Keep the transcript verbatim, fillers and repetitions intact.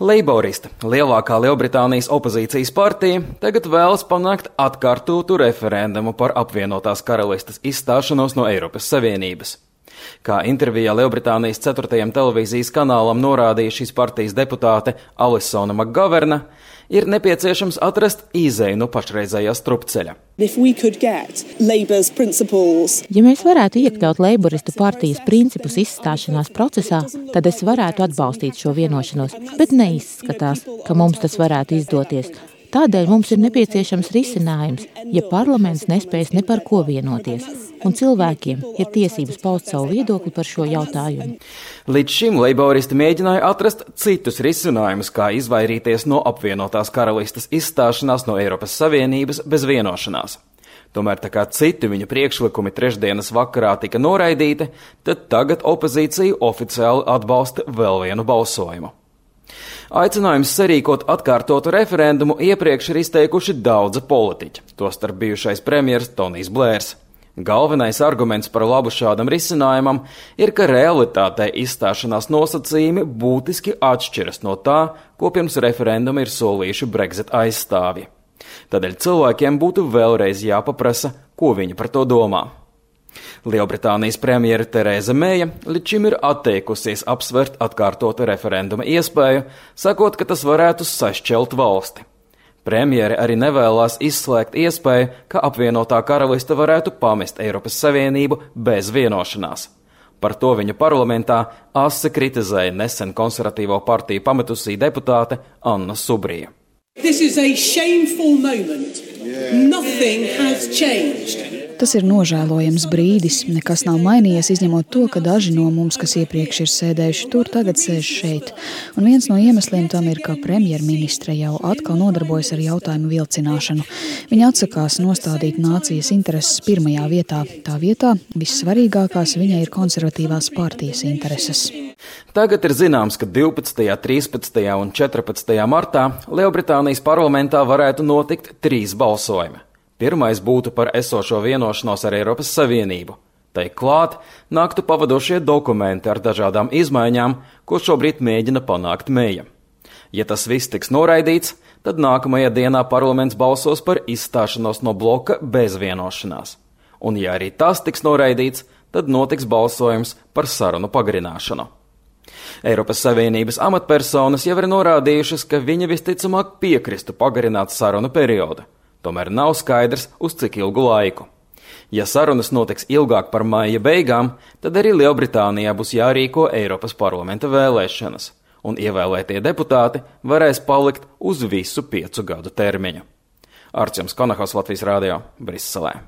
Leiboristi, lielākā Lielbritānijas opozīcijas partija, tagad vēlas panākt atkārtotu referendumu par apvienotās karalistes izstāšanos no Eiropas Savienības. Kā intervijā Lielbritānijas ceturtajam televīzijas kanālam norādīja šīs partijas deputāte Alisona Makgaverna, ir nepieciešams atrast izeju no pašreizējā strupceļa. Ja mēs varētu iekļaut Leiboristu partijas principus izstāšanās procesā, tad es varētu atbalstīt šo vienošanos, bet neizskatās, ka mums tas varētu izdoties. Tādēļ mums ir nepieciešams risinājums, ja parlaments nespējas ne par ko vienoties, un cilvēkiem ir tiesības paust savu viedokli par šo jautājumu. Līdz šim leiboristi mēģināja atrast citus risinājumus, kā izvairīties no apvienotās karalistes izstāšanās no Eiropas Savienības bez vienošanās. Tomēr tā kā citi viņu priekšlikumi trešdienas vakarā tika noraidīti, tad tagad opozīcija oficiāli atbalsta vēl vienu balsojumu. Aicinājums sarīkot atkārtotu referendumu iepriekš ir izteikuši daudzi politiķi, tostarp bijušais premjers Tonijs Blērs. Galvenais arguments par labu šādam risinājumam ir, ka realitātē izstāšanās nosacījumi būtiski atšķiras no tā, ko pirms referenduma ir solījuši Brexit aizstāvji. Tādēļ cilvēkiem būtu vēlreiz jāpaprasa, ko viņi par to domā. Lielbritānijas premjere Tereza Meija līdz šim ir atteikusies apsvert atkārtotu referenduma iespēju, sakot, ka tas varētu sašķelt valsti. Premjere arī nevēlās izslēgt iespēju, ka apvienotā karaliste varētu pamest Eiropas Savienību bez vienošanās. Par to viņa parlamentā asi kritizēja nesen konservatīvo partiju pametusī deputāte Anna Subrija. This is a shameful moment. Nothing has changed. Tas ir nožēlojams brīdis, nekas nav mainījies, izņemot to, ka daži no mums, kas iepriekš ir sēdējuši tur, tagad sēž šeit. Un viens no iemesliem tam ir, ka premjerministre jau atkal nodarbojas ar jautājumu vilcināšanu. Viņa atsakās nostādīt nācijas intereses pirmajā vietā. Tā vietā vissvarīgākās viņai ir konservatīvās partijas intereses. Tagad ir zināms, ka divpadsmitajā, trīspadsmitajā un četrpadsmitajā martā Lielbritānijas parlamentā varētu notikt trīs balsojumi. Pirmais būtu par esošo vienošanos ar Eiropas Savienību. Tai klāt nāktu pavadošie dokumenti ar dažādām izmaiņām, ko šobrīd mēģina panākt Meija. Ja tas viss tiks noraidīts, tad nākamajā dienā parlaments balsos par izstāšanos no bloka bez vienošanās. Un ja arī tas tiks noraidīts, tad notiks balsojums par sarunu pagarināšanu. Eiropas Savienības amatpersonas jau ir norādījušas, ka viņi visticamāk piekristu pagarināt sarunu periodu. Tomēr nav skaidrs, uz cik ilgu laiku. Ja sarunas notiks ilgāk par maija beigām, tad arī Lielbritānijā būs jārīko Eiropas parlamenta vēlēšanas, un ievēlētie deputāti varēs palikt uz visu piecu gadu termiņu. Arčuns Konahaus, Latvijas Rādio, Briselē.